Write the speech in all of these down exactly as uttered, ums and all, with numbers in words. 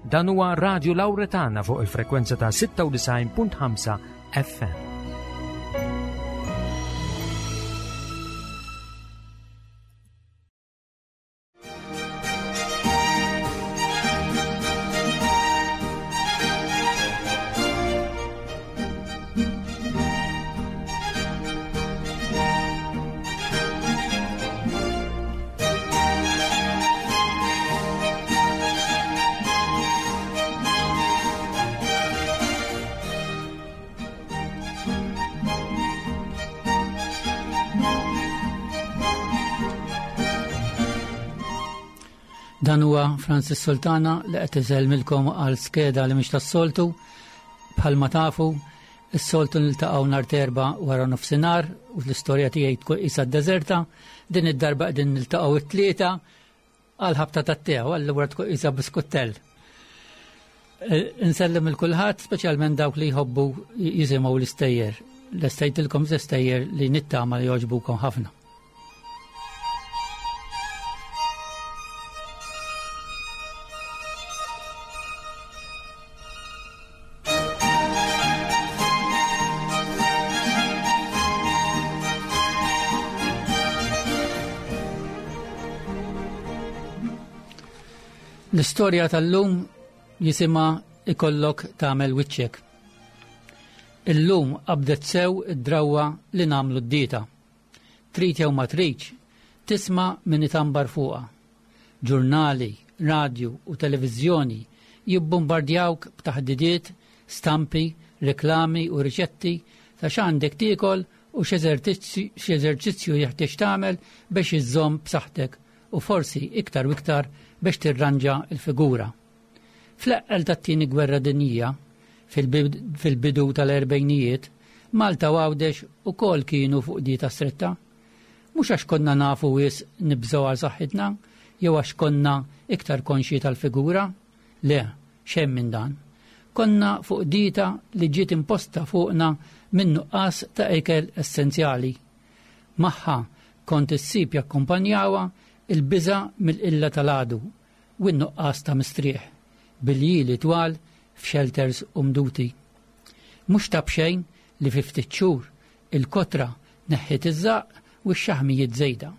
Dan huwa Radio Lauretana fuq il-frekwenza ta' sitta u disgħin punt ħamsa F M. Dan huwa Francis Sultana li qed isellmilkom għal skeda li mhix tas-soltu. Bħalma tafu, is-soltu niltaqgħu nhar t'Erbgħa wara nofsinhar u l-istorja tiegħi tkun qisha deżerta. Din id-darba qegħdin niltaqgħu it-Tlieta għal ħabta tat-te, allura tkun qisha biskutell. Eh, Insellem lil kulħadd, speċjalment dawk li jħobbu jisimgħu l-istejjer. Lestejtilkom stejjer li nittama li jogħġbukom ħafna. L-istorja tal-lum jisimha "Ikollok Tagħmel Wiċċek". Illum qabdet sew id-drawwa li nagħmlu d-dieta. Trid jew ma tridx, tisma' min itambar fuqha. Ġurnali, radju u televiżjoni jibbombardjawk b'taħdidiet, stampi, reklami u riċetti ta' x'għandek tiekol u x'eżerċizzju jeħtieġ tagħmel biex iżżomm b'saħħtek u forsi iktar u iktar biex tirranġa il-figura. Fl-eqqel tat-tieni gwerra dinjija, fil-bidu tal-erbejnijiet, Malta u Għawdex ukoll kienu fuq dieta stretta. Mhux għax konna nafu wisq nibżgħu għal saħħitna, jew għax konna iktar konxji tal-figura. Le, xejn minn dan. Konna fuq dieta li ġiet imposta fuqna minn nuqqas ta' ikel essenzjali. Magħha kont issib jakkumpanjawha il-biża mill-qilla tal-għadu u n-nuqqas ta' mistrieħ bil-ljieli twal f'shelters umduti. Mhux ta' b'xejn li fi ftit xhur il-kotra neħħiet iż-żaqq u x-xaħmijiet żejda.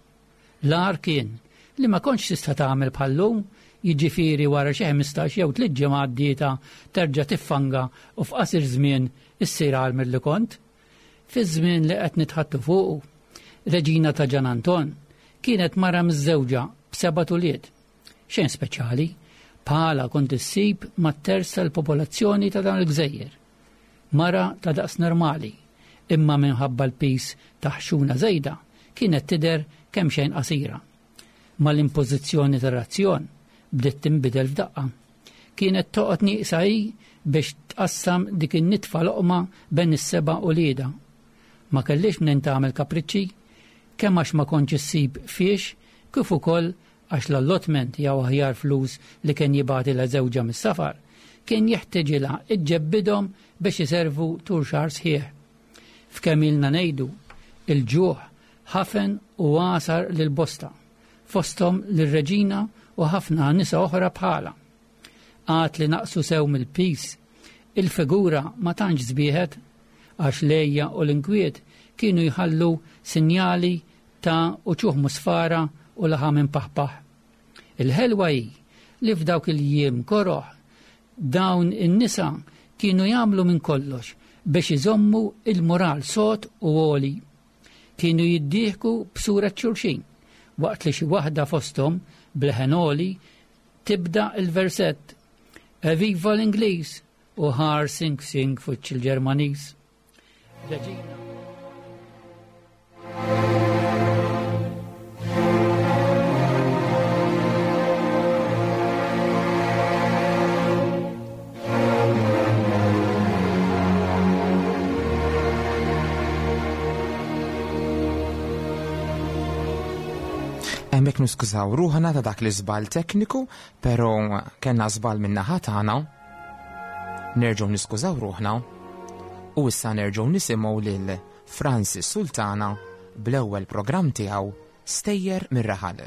L-agħar kien li ma kontx tista' tagħmel bħallum, jiġifieri wara xi ħmistax jew tliet ġimgħat dieta terġa' tiffanga u f'qasir żmien issir agħar milli kont. Fi żmien li qed nitħaddtu fuqu, Reġina ta' Ġan Anton kienet mara miżżewġa b'seba' ulied. Xejn speċjali, bħalha kont issib mat-terz tal-popolazzjoni ta' dawn il-gżejjer. Mara ta' daqs normali, imma minħabba l-piż ta' ħxuna żejda kienet tidher kemm xejn qasira. Mal-impożizzjoni tar-razzjon bdiet tinbidel f'daqqa. Kienet toqgħod nieqsa hi biex tqassam dik in-nitfa loqma bejn is-seba' uliedha. Ma kellix minn tagħmel kapriċċi, kemm għax ma kontx issib fiex, kif ukoll għax l-allotment jew aħjar flus li kien jibgħatilha żewġha mis-safar kien jeħtieġilha iġġebbidhom biex iservu tul xahar sħiħ. F'kemm ilna ngħidu, il-ġuħ ħafen u għasar lil bosta, fosthom lir-reġina u ħafna nisa oħra bħalha. Għad li naqsu sew mill-piż, il-figura ma tantx sbieħet għax l-għeja u l-inkwiet kienu jħallu sinjali ta' uċuħ musfara u laħam impaħpaħ. Il-ħelwa hi li f'dawk il-jiem koroħ dawn in-nisa kienu jagħmlu minn kollox biex iżommu il-moral sod u għoli. Kienu jiddieħku b'sura xulxin waqt li xi waħda fosthom b'leħen għoli tibda il-versett "Eviva l-Ingliż" u "ħar sing sing fuċ il-Ġermaniż". Reġina. Hemmhekk niskużaw ruħna ta' dak l-iżball tekniku, però kellna żball min-naħa tagħna. Nerġgħu niskużaw ruħna u issa nerġgħu nisimgħu lil Francis Sultana bl-ewwel programm tiegħu, "Stejjer mir-Raħal".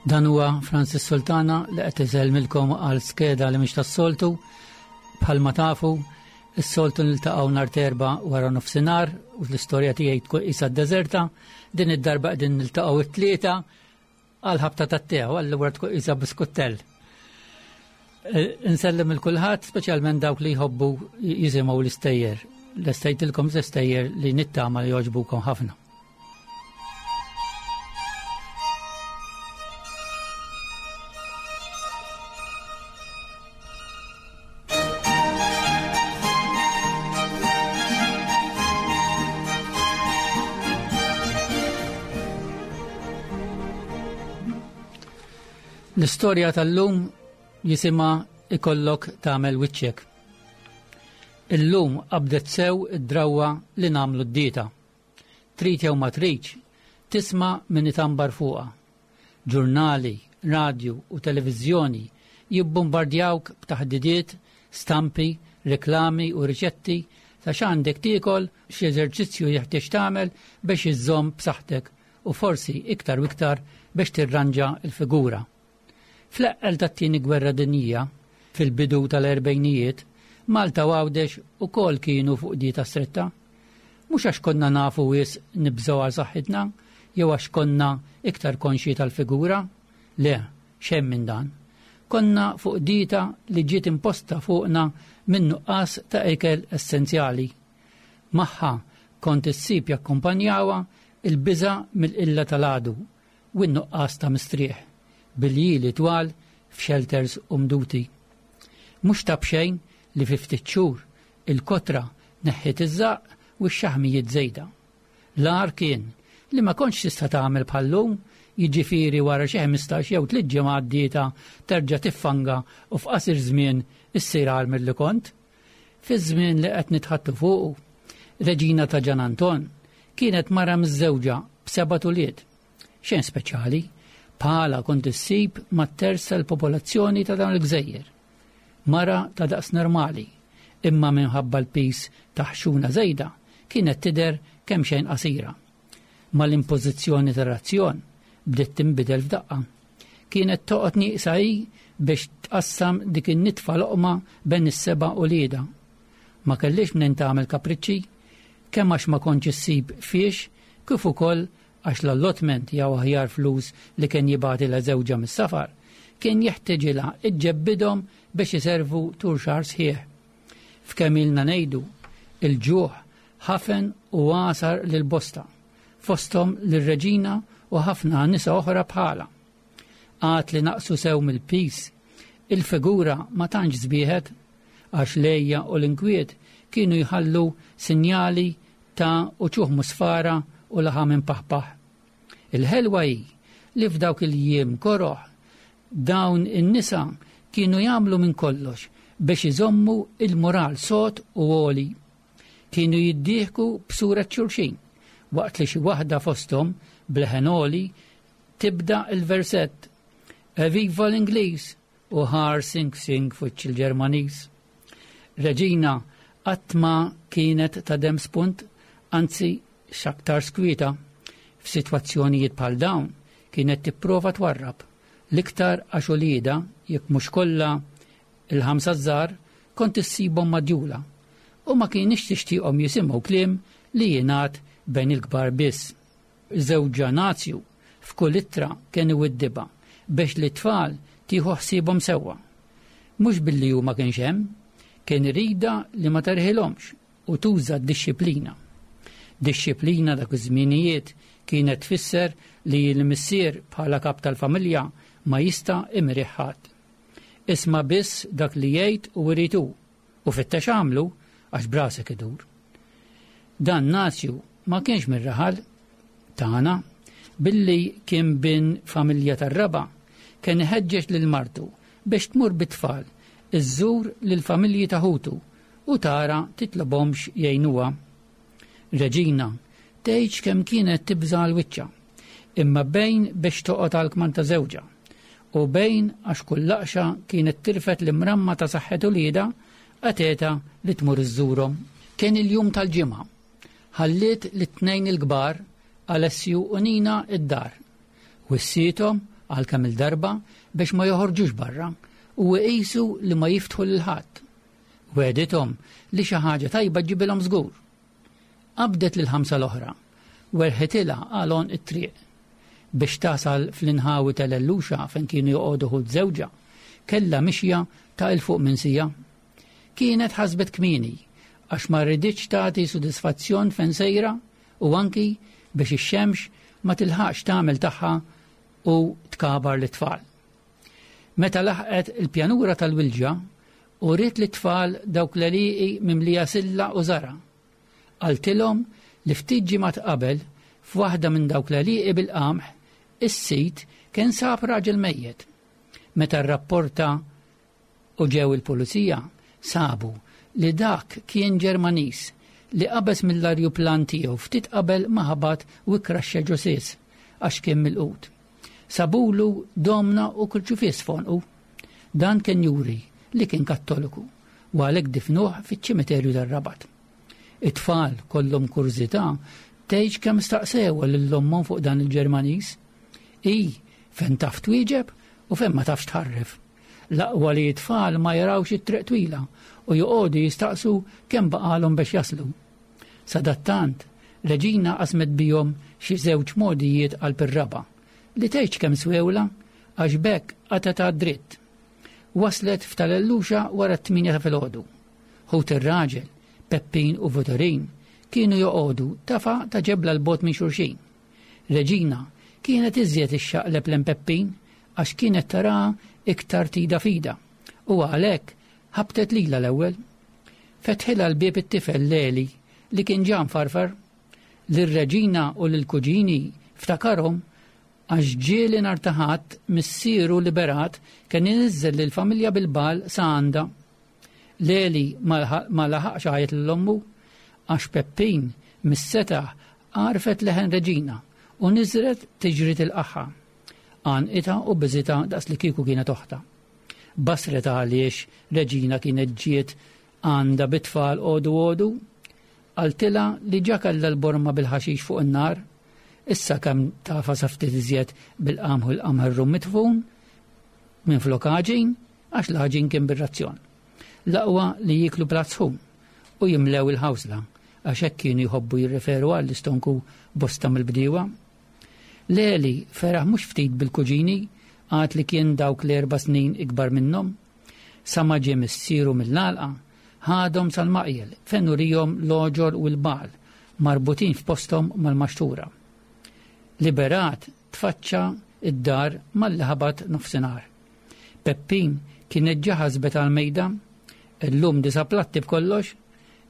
Dan huwa Francis Sultana li qed isellmilkom għal skeda li mhix tas-soltu. Bħalma tafu, is-soltu niltaqgħu nhar terba wara nofsinhar u l-istorja tiegħi tkun qisha d-deżerta. Din id-darba qegħdin niltaqgħu it-tlieta għal ħabta tat-tew, allura tkun qisha biskuttell. Insellem il kulħadd, speċjalment dawk li jħobbu jisimgħu l-istejjer. Lestejtilkom l-istejjer li nittama li jogħġbukom ħafna. L-istorja tal-lum jisimha Ikollok tagħmel wiċċek. Illum qabdet sew id-drawwa li nagħmlu d-dieta. Trid jew ma tridx, tisma' min itambar fuqha. Ġurnali, radju u televiżjoni jibbombardjawk b'taħdidiet, stampi, reklami u riċetti ta' x'għandek tiekol, x'eżerċizzju jeħtieġ tagħmel biex iżżomm b'saħħtek u forsi iktar u iktar biex tirranġa l-figura. Fl-eqqel tat-tieni gwerra dinjija, fil-bidu tal-erbejnijiet, Malta u Għawdex ukoll kienu fuq dieta stretta. Mhux għax konna nafu wisq nibżgħu għal saħħitna, jew għax konna iktar konxji tal-figura, le, xejn minn dan. Konna fuq dieta li ġiet imposta fuqna minn nuqqas ta' ikel essenzjali. Magħha kont issib jakkumpanjawha il-biża' mill-qilla tal-għadu u n-nuqqas ta' mistrieħ, bil-jili twal f'shelters u mduti. Mhux ta' b'xejn li fi ftit xhur il-kotra neħħiet iż-żaqq u x-xaħmijiet żejda. L-agħar kien li ma kontx tista' tagħmel bħal-lum, jiġifieri wara xi ħmistax jew tliet ġimgħat dieta terġa' tiffanga u f'qasir żmien issir agħar milli kont. Fiż-żmien li qed nitħattu fuqu, Reġina ta' Ġan Anton kienet mara miżżewġa b'seba' tuliet. Xejn speċjali, bħala kont issib mat-terz tal-popolazzjoni ta' dawn il-gżejjer. Mara ta' daqs normali, imma minħabba l-pis ta' ħxuna żejda kienet tidher kemm xejn qasira. Mal-impożizzjoni tar-razzjon bdiet tinbidel f'daqqa. Kienet toqgħod nieqsa hi biex tqassam dik in-nitfa loqma bejn is-seba' uliedha. Ma kellix minn tagħmel kapriċċi, kemm għax ma kontx issib fiex, kif ukoll għax l-allotment jew aħjar flus li kien jibgħatilha żewġha mis-safar kien jeħtieġilha iġġebbidhom biex iservu tul xahar sħiħ. F'kemm ilna ngħidu, il-ġuħ ħafen u għasar lil bosta, fosthom lir-reġina u ħafna nisa oħra bħala. Għad li naqsu sew mill-pis, il-figura ma tantx żbieħet għax lejja u l-inkwiet kienu jħallu sinjali ta' uċuħ musfara u laħam impaħpaħ. Il-ħelwa hi li f'dawk il-jiem koroħ dawn in-nisa kienu jagħmlu minn kollox biex iżommu il-moral sod u għoli. Kienu jiddieħku b'sura xulxin waqt li xi waħda fosthom bleħen għoli tibda il-versett Eviva l-Ingliż u ħar sing sing fuċ il-Ġermaniż. Reġina qatt ma kienet ta' dem spunt, anzi x'aktar skwieta. F'sitwazzjonijiet bħal dawn kienet tipprova twarrab l-iktar għax uliedha, jekk mhux kollha il-ħamsa żgħar, kont issibhom madjula u ma kienx tixtieqhom jisimgħu kliem li jingħad bejn il-kbar biss. Żewġha Nazju f'kull ittra kien iwiddibha biex li t-tfal tieħu ħsiebhom sewwa. Mhux billi hu ma kienx hemm, kien irida li ma terħilhomx u tuża d-dixxiplina. Dixxiplina dak iż-żminijiet kienet tfisser li l-missier bħala kap tal-familja ma jista' imriħ ħadd. Isma' biss dak li jgħid u jrid hu, u fittex għamlu għax brasek idur. Dan Nazju ma kienx mir-raħal tagħna, billi kien bin familja tar-raba, kien iħeġġeġ lil martu biex tmur bit-tfal iżżur lil familji ta' ħutu u tara titlobhomx jgħinuha. Reġina tgħidx kemm kienet tibża' għal wiċċha, imma bejn biex toqgħod għal kman ta' żewġha u bejn għax kull laqxa kienet tirfet l-imramma ta' saħħet uliedha qateta li tmur iżżurhom. Kien il-jum tal-ġimgħa. Ħalliet lit-tnejn il-kbar, Alessju u Nina, id-dar. Wissiethom għal kemm il-darba biex ma joħorġux barra u iqisu li ma jiftħu lil ħadd. Wegħdithom li xi ħaġa tajba ġġibilhom żgur. Qabdet lil ħamsa l-oħra, werħitilha għal għonq it-triq. Biex tasal fl-inħawi tal-Elluxa fejn kienu joqogħdu ħut żewġha, kellha mixja ta' 'il fuq minn siegħa. Kienet ħasbet kmieni għax ma riditx tagħti sodisfazzjon fejn sejra u anki biex ix-xemx ma tilħaqx tagħmel tagħha u tkabar lit-tfal. Meta laħqet il-pjanura tal-Wilġa uriet lit-tfal dawk l-għelieqi mimlija silla u żara'. Qaltilhom li ftit ġimgħat qabel f'waħda minn dawk l-għelieqi bil-qamħ is-sit kien sab raġel mejjet. Meta rrapporta u ġew il-pulizija sabu li dak kien Ġermaniż li qabeż mill-arjuplan tiegħu ftit qabel ma ħabat u kkraxxa ġo sies għax kien milqut. Sabulu domna u kurċifiss f'għonqu. Dan kien juri li kien Kattoliku u għalhekk difnuh fiċ-ċimiterju tar-Rabat. It-tfal kollhom kurżità tgħidx kemm staqsew lil ommhom fuq dan il-Ġermaniż. I fejn taf twieġeb u fejn ma tafx tħarref. L-aqwa li t-tfal ma jarawx it-triq twila u joqogħdu jistaqsu kemm baqalhom biex jaslu. Sadattant, Reġina qasmet bihom xi żewġ mogħdijiet qalb ir-raba' li tgħidx kemm swewla għax b'hekk qatgħet għad-dritt. Waslet f'tal-Elluxa wara t-tmienja ta' filgħodu. Ħut ir-raġel, Peppin u Vutorin, kienu joqogħdu tafa ta' ġebla 'l bogħod minn xulxin. Reġina kienet iżjed ixxaqleb lejn Peppin għax kienet taraha iktar tida fida u għalhekk ħabtet lilha l-ewwel. Fetħilha l-bieb it-tifel Leli li kien ġa mfarfar. Lir-Reġina u lill-kuġini ftakarhom għax ġieli nhar ta' Ħadd missieru Liberat kien iniżżel lill-familja bil-bal sa għandha. Leli ma laħaqx għajjet lil ommu għax Peppin mis-setaħ għarfet leħen Reġina u niżret tiġri tilqagħha. Għanqitha u biżitha daqs li kieku kienet oħtha. Basret għaliex Reġina kienet ġiet għandha bit-tfal għodu għodu, qaltilha li ġa kellha l-borma bil-ħaxix fuq in-nar, issa kemm tafa sa ftit iżjed bil-qamħ u l-qamħ mitfun minn flok għaġin għax l-għaġin kien bir-razzjon. L-aqwa li jiklu platt sħun u jimlew il-ħawsla għax hekk kienu jħobbu jirreferu għall-istonku bosta mill-bdiewa. Leli feraħ mhux ftit bil-kuġini għad li kien dawk l-erba' snin ikbar minnhom. Sa ma ġie missieru mill-għalqa ħadhom sal-maqjel fejn urihom l-oġor u l-bagħal marbutin f'posthom mal-maxtura. Liberat tfaċċa id-dar malli ħabat nofsinhar. Peppin kienet ġa ħasbet għal-mejda, illum disa' platti b'kollox,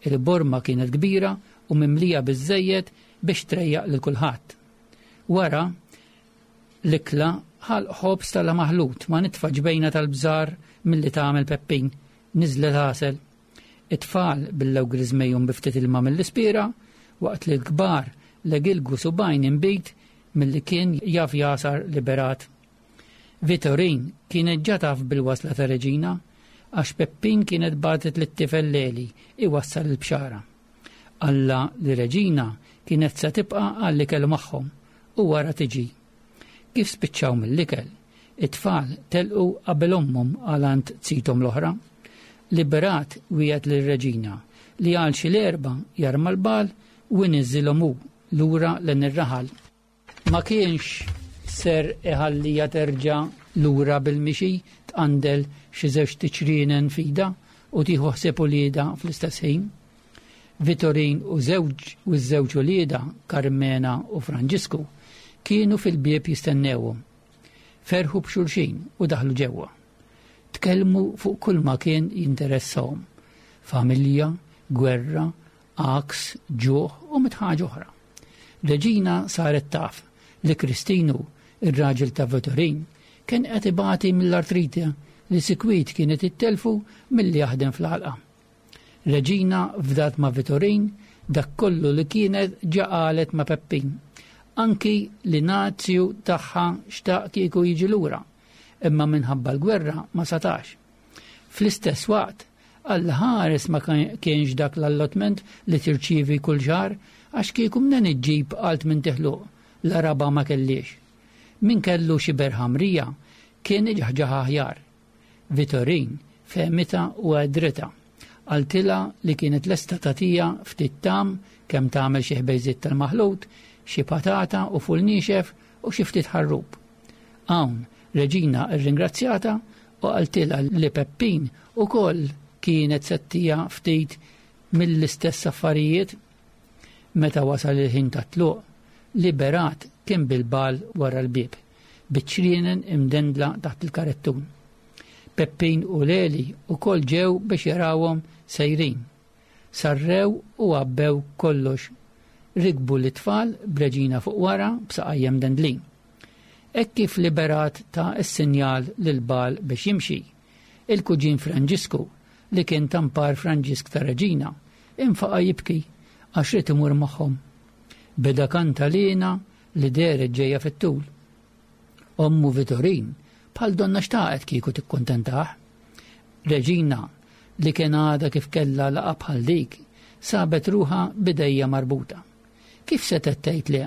il-borma kienet kbira u mimlija biżżejjed biex trejjaq lil kulħadd. Wara l-ikla ħalq ħobż tal-maħlut ma' nitfa ġbejna tal-bżar milli tagħmel Peppin, niżlet għasel. It-tfal billew griżmejhom bi ftit ilma mill-ispira, waqt li l-kbar legilgu subgħajn inbid milli kien jaf jasar Liberat. Vitorin kienet ġa taf bil-wasla ta' Reġina għax Peppin kienet bagħtet lit-tifel Leli iwassal il-bxara. Alla li Reġina kienet se tibqa' għall-ikel magħhom u wara tiġi. Kif spiċċaw mill-ikel, it-tfal telqu qabel ommhom għal għand sitom l-oħra. Liberat wiegħed lir-Reġina li għal xi l-erba' jarma l-bal u jniżżilhom hu lura lejn ir-raħal. Ma kienx ser iħallija terġa' lura bil-mixi tqandel xi żewġ tiċrienen f'idha u tieħu ħsieb uliedha fl-istess ħin. Vitorin u żewġ u ż-żewġ uliedha, Carmena u Franġisku, kienu fil-bieb jistennewhom. Ferħu b'xulxin u daħlu ġewwa. Tkellmu fuq kull ma kien jinteressahom. Familja, gwerra, għaks, ġuħ u mitt ħaġa oħra. Reġina saret taf li Kristinu, ir-raġel ta' Vitorin, kien qed ibati mill-artrite li sikwit kienet ittelfu milli jaħdem fl-għalqa. Reġina fdat ma' Vitorin dak kollu li kienet ġa qalet ma' Peppin, anki li nazju tagħha xtaq kieku jiġi lura, imma minħabba l-gwerra ma setax. Fl-istess waqt, Alla ħares ma kienx dak l-allotment li tirċievi kull xahar għax kieku mnen iġġib għalt minn tiħluq, la raba ma kellix. Min kellu xi berħamrija kien iġaħġaħ aħjar. Vitorin fehmitha u għedritha. Qaltilha li kienet lesta tagħtiha ftit tam kemm tagħmel xi ħbejżiet tal-maħlut, xi patata u ful niexef u xi ftit ħarrub. Hawn Reġina rringrazzjata u qaltilha li Peppin ukoll kienet se ttiha ftit mill-istess affarijiet. Meta wasal il-ħin tat-tluq, Liberat kien bil-bal wara l-bieb, biċ-ċrienen imdendla taħt il-karettun. Peppin u Leli ukoll ġew biex jarawhom sejrin. Sarrew u għabbew kollox. Rikbu l-tfal b'Reġina fuq wara b'saqajja mdendlin. Hekk kif Liberat ta s-sinjal lil bal biex jimxi, il-kuġin Franġisku li kien tampar Franġisk ta' Reġina, infaqa' jibki għax ried imur magħhom. Beda kantalina li dehret ġejja fit-tul. Ommu Vitorin bħal donna xtaqet kieku tikkuntentah. Reġina li kien għadha kif kellha laqgħa bħal dik, sabet ruħha b'idejha marbuta. Kif setgħet tgħid le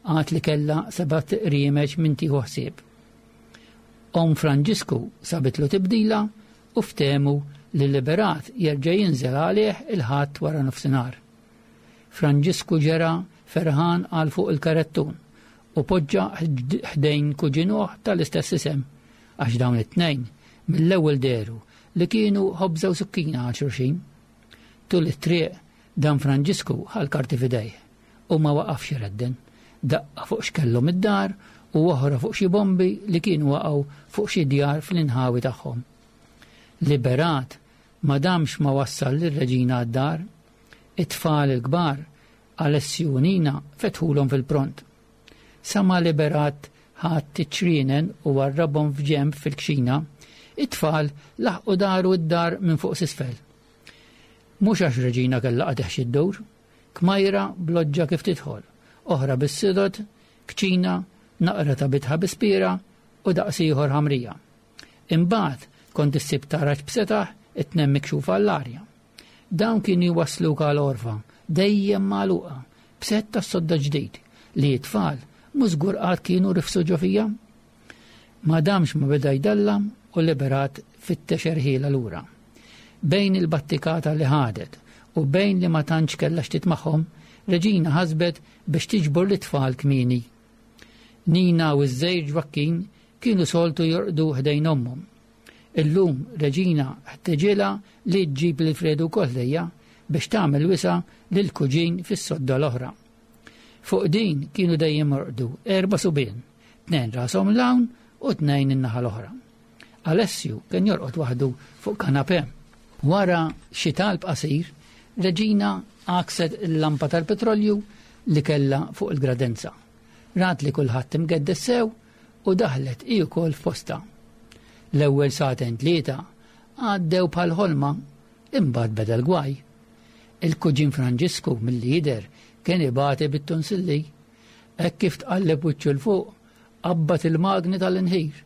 għad li kellha sebat riemeċ minn tieħu ħsieb. Omm Franġisku sabitlu tibdila u ftehmu li Liberat jerġa' jinżel għalih il-Ħadd wara nofsinhar. Franġisku ġera ferħan għal fuq il-karettun u poġġa ħdejn kuġinuh tal-istess isem, għax dawn it-tnejn mill-ewwel dehru li kienu ħobża u sukkina għal xulxin. Tul it-triq dan Franġisku ħa l-karti f'idejh u ma waqafx iredden. Daqqa fuq x'kellhom id-dar u oħra fuq xi bombi li kienu waqgħu fuq xi djar fl-inħawi tagħhom. Liberat ma damx ma wassal lir-reġina għad-dar. It-tfal il-kbar Alessju u Nina fetħulhom fil-pront. Sa ma Liberat ħadd iċ-ċrienen u warrabhom f'ġenb fil-kxina, it-tfal laħqu daru d-dar minn fuq s'isfel. Mhux għax Reġina kellha qadeħ xi ddur, kmajra b'loġġa kif tidħol, oħra bis-sidot, kċina, naqra ta' bitħa bispira u daqs ieħor ħamrija. Imbagħad kont issib taraġ b'setaħ it-tnejn mikxufa għall-arja. Dawn kienu jwassluk għal għorfa, dejjem magħluqa, b'sett ta' sodda ġdid li t-tfal mhux żgur qatt kienu rifsu ġo fija. Ma damx ma beda jdallam u Liberat fittex erħila lura. Bejn il-battikata li ħadet u bejn li ma tantx kellha x'tit magħhom, Reġina ħasbet biex tiġbor l-tfal kmieni. Nina u ż-żejr Ġwakkin kienu soltu jorqdu ħdejn ommhom. Illum Reġina ħteġilha li ġġib lil Fredu wkoll ħdejja biex tagħmel wisa lil kuġin fis-sodda l-oħra. Fuq din kienu dejjem jorqdu erba' subien, tnejn rashom l-hawn u tnejn in-naħa l-oħra. Alessju kien jorqod waħdu fuq kanapè. Wara xi talb qasir, Reġina għakset il-lampa tal-petrolju li kellha fuq il-gradenza. Rat li kulħadd imgeddes sew u daħlet hi wkoll f'posta. L-ewwel sagħtejn tlieta għaddew bħal ħolma, imbagħad beda l-gwaj. Il-kuġin Franġisku milli jidher kien ibati bit-tonsilli. Hekk kif tqalleb wiċċu 'l fuq, qabbat il-magni tal-inħir.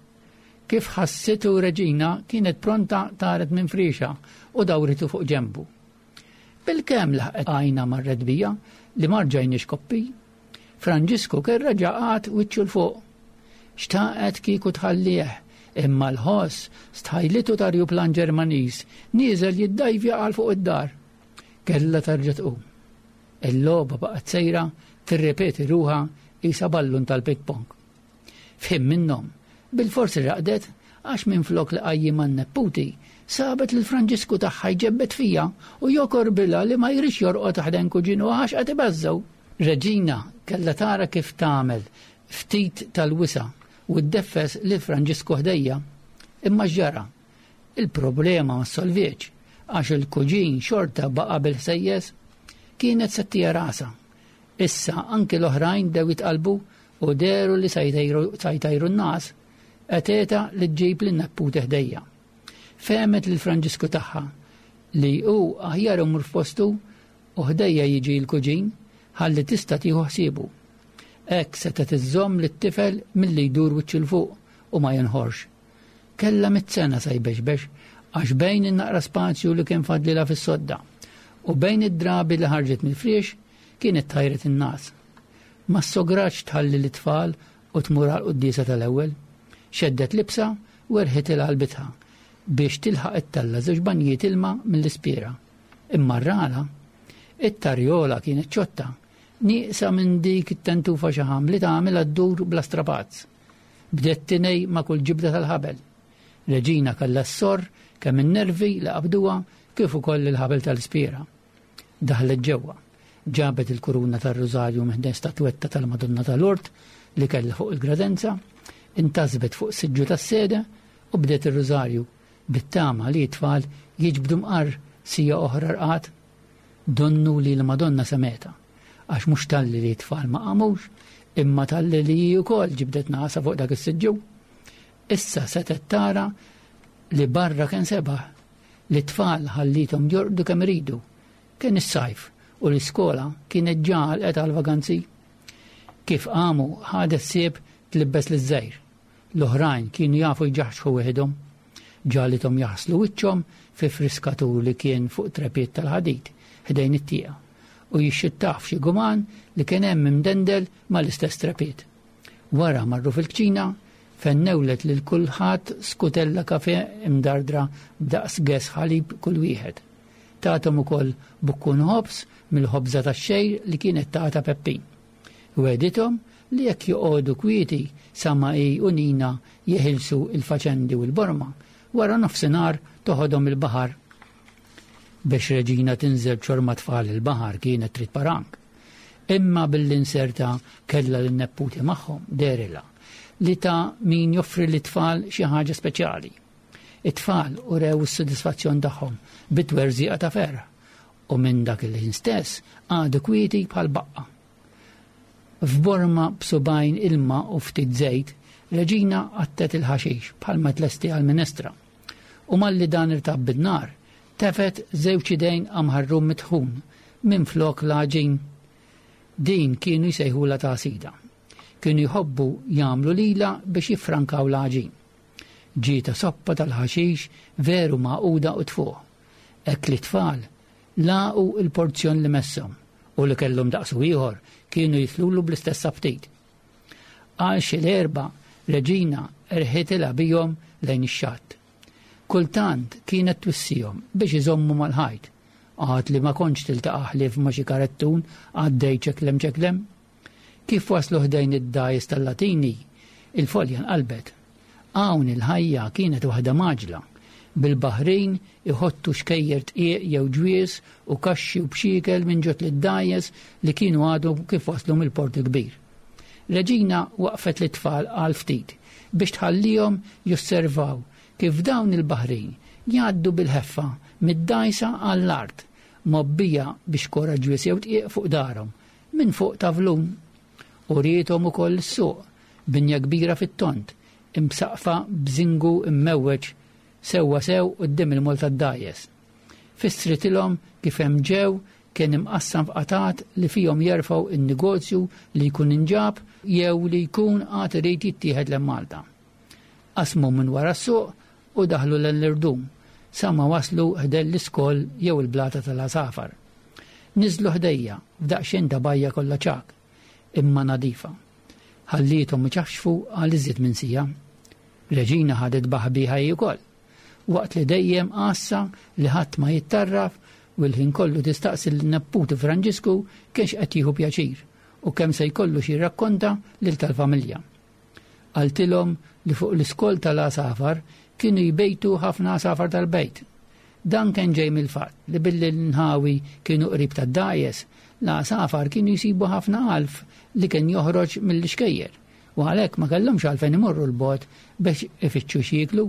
Kif ħassitu Reġina kienet pronta taret minn frixa u dawritu fuq ġembu. Bil-kemm laħqet għajna marret bija li marġajniex koppi. Franġisku kien reġa' qagħad wiċċu 'l fuq. Xtaqet kieku tħallih, imma l-ħoss stħajlitu ta' rjuplan Ġermaniż nieżel jiddajvja għal fuq id-dar. Kellha tarġa' tqum. Il-logħba baqgħet sejra tirrepeti ruha qisha ballun tal-ping-pong. F'ħin minnhom, bil-forsi raqdet għax minflok li qajjimha n-nepputi sabet lil Franġisku tagħha jġebbed fija u jokorbilha li ma jridx jorqod ħdejn kuġinu għax qed ibeżżgħu. Reġina kellha tara kif tagħmel ftit tal-wisa u ddeffes lil Franġisku ħdejja. Imma x'ġara? Il-problema ma ssolvietx għax il-kuġin xorta baqa' bil-ħsejjes. Kienet se ttiha rasha. Issa anki l-oħrajn dew jitqalbu u dehru li se jtajru n-nas, eteta li ġġib lin-nepputi ħdejja. Fehmet lil Franġisku tagħha li hu aħjar imur f'postu u ħdejja jiġi l-kuġin ħalli tista' tieħu ħsiebu. Hekk setgħet iżżomm lit-tifel milli jdur wiċċu 'l fuq u ma jinħorx. Kellha mitt sena sa jbexbex għax bejn in-naqra spazju li kien fadlilha fis-sodda u bejn id-drabi li ħarġet mill-friex kienet tajret in-nas. Ma sogratx tħalli l-tfal u tmur għall-quddiesa tal-ewwel. Xeddet libsa u erħitilha għal-bitħa biex tilħaq ittella' żewġ banjiet ilma mill-ispiera. Imma r-rala, it-tarjola kienet ċotta, nieqsa minn dik it-tentufa xaħam li tagħmel ddur bla strapazz. Bdiet tinej ma' kull ġibda tal-ħabel. Reġina kellha s-sorr kemm in-nervi li qabduha kif ukoll il-ħabel tal-ispiera. Daħlet ġewwa, ġabet il-kuruna tar-rużarju minn statwetta tal-Madonna tal-Urt li kellha fuq il-gradenza, intasbet fuq siġġu tas-sede u bdiet ir-rużarju bit-tama li t-tfal jiġbdu mqar sija oħra rqad. Donnu li l-Madonna semeta, għax mhux talli li t-tfal ma qamux, imma talli li hi wkoll ġibdet nasa fuq dak is-siġġu. Issa setgħet tara li barra kien sebaħ, li t-tfal ħallithom jorqdu kemm iridu. Kien is-sajf u l-iskola kienet ġa għalqet għal-vaganzi. Kif qamu ħadet sieb tlibbes liż-żgħir. L-oħrajn kienu jafu jġaħxħu weħidhom. Ġalithom jaħslu wiċċhom fi friskatur li kien fuq trepiet tal-ħadid ħdejn it-tieqa u jixxittah f'xi guman li kien hemm imdendel mal-istess trepiet. Wara marru fil-kċina fejn newlet lil kulħadd skutella kafe imdardra b'daqs ges ħalib kull wieħed. Tathom ukoll bukkun ħobż mill-ħobża tax-xejr li kienet tagħta Peppin. Wedithom li jekk joqogħdu kwieti sa ma hi u Nina jeħilsu il-faċendi u l-borma, wara nofsinhar toħodhom il-baħar. Biex Reġina tinżel b'xorma tfal il-baħar kienet trid parank. Imma bil-inserta kellha lin-nepputi magħhom derila li ta' min joffri lit-tfal xi ħaġa speċjali. It-tfal urew is-sodisfazzjon tagħhom bit-twerżiqa ta' ferħ u minn dak il-ħin stess għadu kwieti bħal baqqa. F'borma b'subajn ilma u ftit żejt, Reġina qattet il-ħaxix bħalma tlesti għal-minestra. U malli dan irtab bin-nar, tefet żewġ idejn amħarrum mitħun minn flok l-għaġin. Din kienu jsejħula tagħsida. Kienu jħobbu jagħmlu lila biex jiffrankaw l-għaġin. Ġieta soppa tal-ħaxix veru maquda u tfuħ. Hekk li tfal laqu il-porzjon li messhom u li kellhom daqsu ieħor kienu jitlulu bl-istess aptit. Għal xi l-erba' Reġina erħitilha bihom lejn ix-xatt. Kultant kienet twissihom biex iżommu mal-ħajt. Għad li ma kontx tiltaqa' ħlief ma' xi karettun għaddej ċeklem ċeklem. Kif waslu ħdejn id-dgħajjes tal-Latini, il-folja nqalbet. Hawn il-ħajja kienet waħda maġla, bil-baħrin iħottu xkejjer tqieq jew ġwies u kaxxi u bxiekel minn ġot lid-dgħajjes li kienu għadu kif waslu mill-port il-kbir. Reġina waqfet lit-tfal għal ftit biex tħallihom josservaw kif dawn il-baħrin jgħaddu bil-ħeffa mid-dgħajsa għall-art mobbija biex kora ġwies jew tqieq fuq darhom minn fuq tavlun. U riethom ukoll is-suq, binja kbira fit-tont, imsaqfa b'żingu immewweġ sewwa sew quddiem il-mol tad-dgħajjes. Fissritilhom kif hemm ġew kien imqassam f'qatat li fihom jerfgħu in-negozju li jkun inġab jew li jkun għad irid jittieħed lejn Malta. Qasmu minn wara s-suq u daħlu lejn l-irdum sa ma waslu ħdejn l-iskoll jew il-blata tal-għasafar. Niżlu ħdejja f'daqsxejn ta' bajja kollha ċagħak, imma nadifa. Ħallithom iċaxxfu għal iżjed minn sija. Reġina ħadet baħbiħa hi wkoll, waqt li dejjem għassa li ħadd ma jittarraf u l-ħin kollu tistaqsi lin-nepputi Franġisku kienx qed jieħu pjaċir u kemm se jkollu xi rakkonta lil tal-familja. Qaltilhom li fuq l-iskol tal-għasafar kienu jbejtu ħafna għasafar tal-bejt. Dan kien ġej mill-fatt li billi l-nħawi kienu qrib tad-dgħajjes, l-għasafar kienu jsibu ħafna għalf li kien joħroġ mill-ixkejjer u għalhekk ma kellhomx għalfejn imorru l-bogħod biex ifittxu x'jieklu.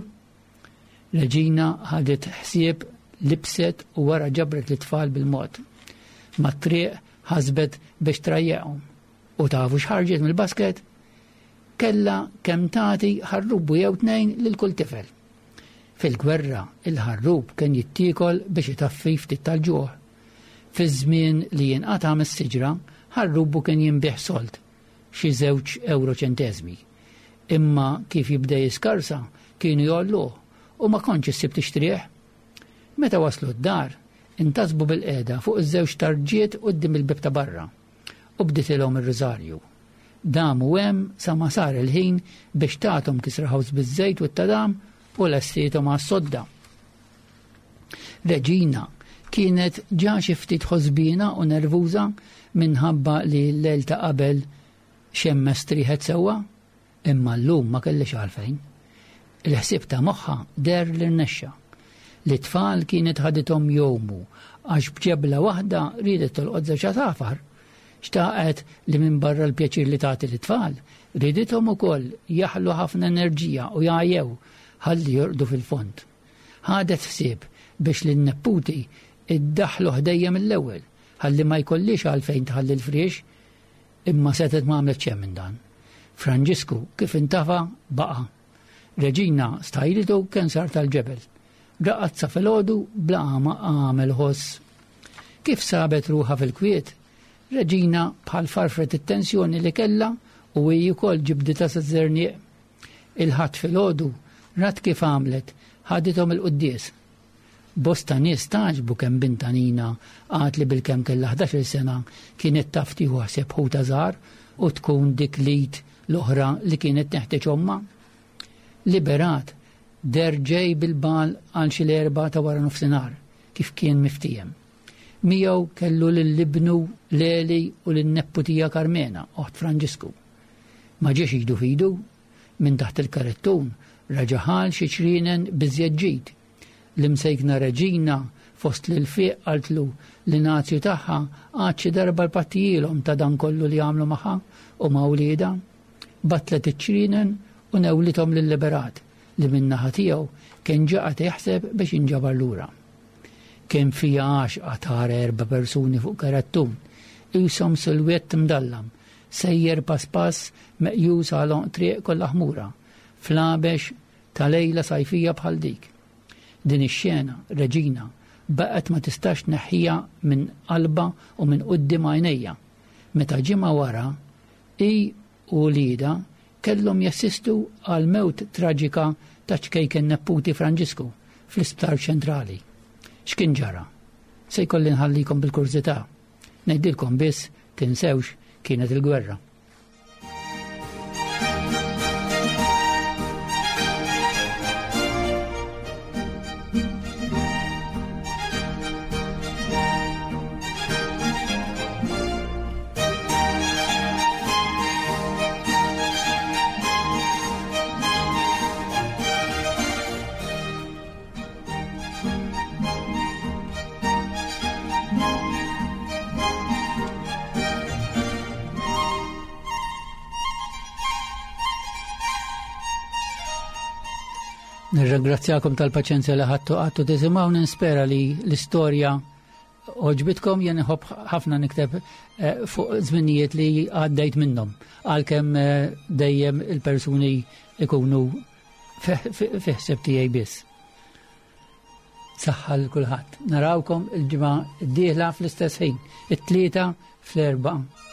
Reġina ħadet ħsieb, libset u wara ġabret l-tfal bil-mod. Mat-triq ħasbet biex trajjaqhom. U tafu x'ħarġet mill-basket? Kella kemm tagħti ħarrubu jew tnejn lil kull tifel. Fil-gwerra il-ħarrub kien jittiekol biex itaffi ftit tal-ġuħ. Fiż-żmien li jinqata' mis-siġra, ħarrubu kien jinbih sold, xi żewġ euro ċenteżmi. Imma kif jibda jiskarsa kienu jgħolluh u ma kontx issib tixtrih. Meta waslu d-dar, intasbu bil-qeda fuq iż-żewġ tarġiet quddiem il-bib ta' barra u bditilhom ir-riżarju. Damu hemm sa ma sar il-ħin biex tagħthom kisra ħobż biż-żejt u t-tadam u lestiethom għas-sodda. Reġina kienet ġa xi ftit ħosbina u nervuża minħabba li l-lejl ta' qabel xemmes triħet sewwa, imma llum ma kellix għalfejn. Il-ħsieb ta' moħħa der li rnexxa. L-tfal kienet ħadithom jomu għax b'ġebla waħda riedet tolqot żewġ għasafar. Xtaqet li minn barra l-pjaċir li tagħti l-tfal, ridithom ukoll jaħlu ħafna enerġija u jgħajjew ħalli jorqdu fil-fond. Ħadet ħsieb biex lin-nepputi iddaħħlu ħdejja mill-ewwel ħalli ma jkollix għalfejn tħalli l-friex, imma setgħet ma għamlet xejn minn dan. Franġisku kif intafa baqa'. Reġina stajlitu kien sar tal-ġebel. Raqad sa filgħodu bla ma għamel ħoss. Kif sabet ruħha fil-kwiet, Reġina bħal farfret it-tensjoni li kellha u hi wkoll ġibditha sa żerniq. Il-Ħadd filgħodu rat kif għamlet, ħadithom il-quddies. Bosta nies taġbu kemm binta Nina għad li bil-kemm kellha ħdax-il sena kienet taf tieħu ħsieb ħuta żgħar u tkun dik l-id l-oħra li kienet teħtieġ ommha. Liberat der ġej bil-bal għal xi l-erba' ta' wara nofsinhar kif kien miftiehem. Miegħu kellu lil-ibnu Leli u lin-nepputija Karmena, oħt Franġisku. Ma ġiex idu f'idu, minn taħt il-karettun raġa' ħal xi ċrienen biżjed ġid. L-imsejkna Reġina fost l-fiq qaltlu li nazju tagħha għad xi darba l-pattijielhom ta' dan kollu li għamlu magħha u ma' wliedha. Batlet iċ-ċrienen u newlithom lil-Liberat li min-naħa tiegħu kien ġa qed jaħseb biex jinġabar lura. Kien fija għaxqa tara erba' persuni fuq karettun, qishom silwett mdallam, sejjer pass pass meqjus għal għonq triq kollha ħmura, fl-għabex ta' lejla sajfija bħal dik. Din ix-xena, Reġina, baqgħet ma tistax tneħħiha minn qalbha u minn quddiem għajnejha. Meta ġimgħa wara, hi u wliedha kellhom jassistu għal mewt traġika ta' ċkejken nepputi Franġisku fl-Isptar Ċentrali. X'kien ġara? Se jkolli nħallikom bil-kurżità. Ngħidilkom biss tinsewx kienet il-gwerra. Nirringrazzjakom tal-paċenzja li ħadtu għattu tisimgħu, nispera li l-istorja għoġbitkom. Jien inħobb ħafna nikteb, eh, fuq żminijiet li għaddejt minnhom, għalkemm, eh, dejjem il-persuni ikunu fi-, fi-, fi ħsieb tiegħi biss. Saħħa lil kulħadd. Narawkom il-ġimgħa d-dieħla fl-istess ħin, it-tlieta fl-erba'